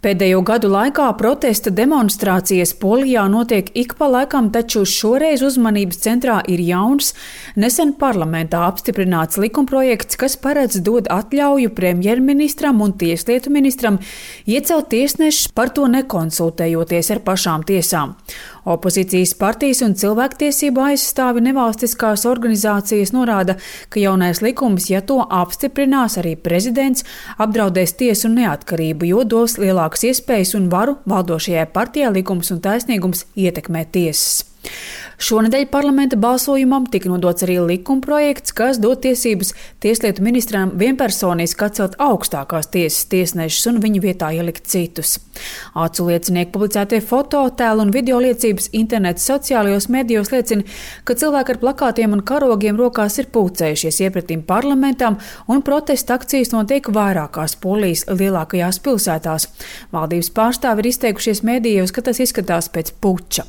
Pēdējo gadu laikā protesta demonstrācijas Polijā notiek ik pa laikam, taču šoreiz uzmanības centrā ir jauns, nesen parlamentā apstiprināts likumprojekts, kas paredz dot atļauju premjerministram un tieslietu ministram iecelt tiesnešus, par to nekonsultējoties ar pašām tiesām. Opozīcijas partijas un cilvēktiesību aizstāvi nevalstiskās organizācijas norāda, ka jaunais likums, ja to apstiprinās arī prezidents, apdraudēs tiesu neatkarību, jo dos lielākas iespējas un varu valdošajai partijai Likums un taisnīgums ietekmēt tiesas. Šonedēļ parlamenta balsojumam tika nodots arī likumprojekts, kas dod tiesības tieslietu ministram vienpersoniski atcelt augstākās tiesas tiesnešus un viņu vietā ielikt citus. Acu liecinieku publicētie fototēli un video liecības interneta sociālajos medijos liecina, ka cilvēki ar plakātiem un karogiem rokās ir pulcējušies iepratim parlamentam, un protesta akcijas notiek vairākās Polijas lielākajās pilsētās. Valdības pārstāvi ir izteikušies medijos, ka tas izskatās pēc puča.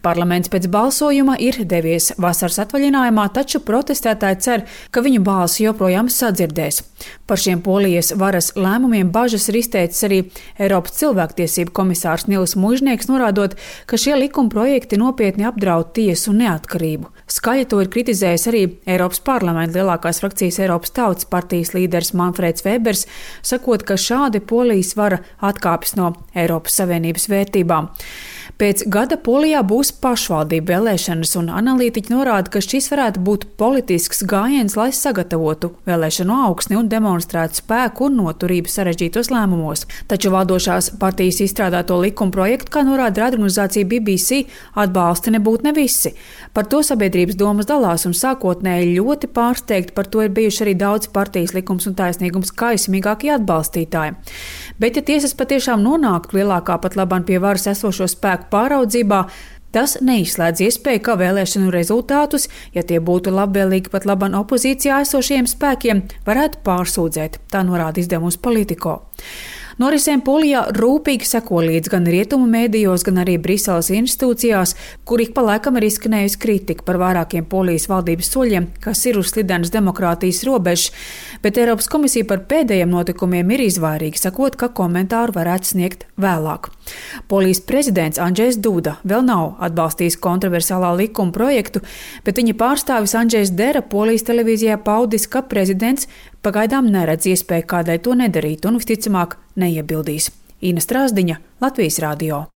Parlaments pēc balsojuma ir devies vasaras atvaļinājumā, taču protestētāji cer, ka viņu balsi joprojām sadzirdēs. Par šiem Polijas varas lēmumiem bažas ir izteicis arī Eiropas cilvēktiesību komisārs Nils Muižnieks, norādot, ka šie likuma projekti nopietni apdraud tiesu neatkarību. Skaļi to ir kritizējis arī Eiropas parlamenta lielākās frakcijas Eiropas Tautas partijas līderis Manfreds Vēbers, sakot, ka šādi Polijas vara atkāpjas no Eiropas Savienības vērtībām. Pēc gada Polijā būs pašvaldību vēlēšanas, un analītiķi norāda, ka šis varētu būt politisks gājiens, lai sagatavotu vēlēšanu augsni un demonstrētu spēku un noturību sarežģītos lēmumos. Taču valdošās partijas izstrādāto likuma projektu, kā norāda radioorganizācija BBC, atbalsta nebūtu ne visi. Par to sabiedrības domas dalās, un sākotnēji ļoti pārsteigti par to ir bijuši arī daudz partijas Likums un taisnīgums kaismīgākie atbalstītāji. Bet ja tiesas patiešām nonāktu lielākā pat labāk pie varas esošo spēku pāraudzībā, tas neizslēdz iespēju, ka vēlēšanu rezultātus, ja tie būtu labvēlīgi pat labāk opozīcijā esošiem spēkiem, varētu pārsūdzēt, tā norāda izdevums Politico. Norisēm Polijā rūpīgi seko līdz gan rietumu mēdījos, gan arī Briseles institūcijās, kur ik pa laikam ir izskanējusi kritika par vairākiem Polijas valdības soļiem, kas ir uz slidenas demokrātijas robežas, bet Eiropas komisija par pēdējiem notikumiem ir izvairīga, sakot, ka komentāru varētu sniegt vēlāk. Polijas prezidents Andžejs Duda vēl nav atbalstījis kontroversiālā likuma projektu, bet viņa pārstāvis Andžejs Dera Polijas televīzijā paudis, ka prezidents pagaidām neredz iespēju kādai to nedarīt un visticamāk neiebildīs. Ina Strāzdiņa, Latvijas radio.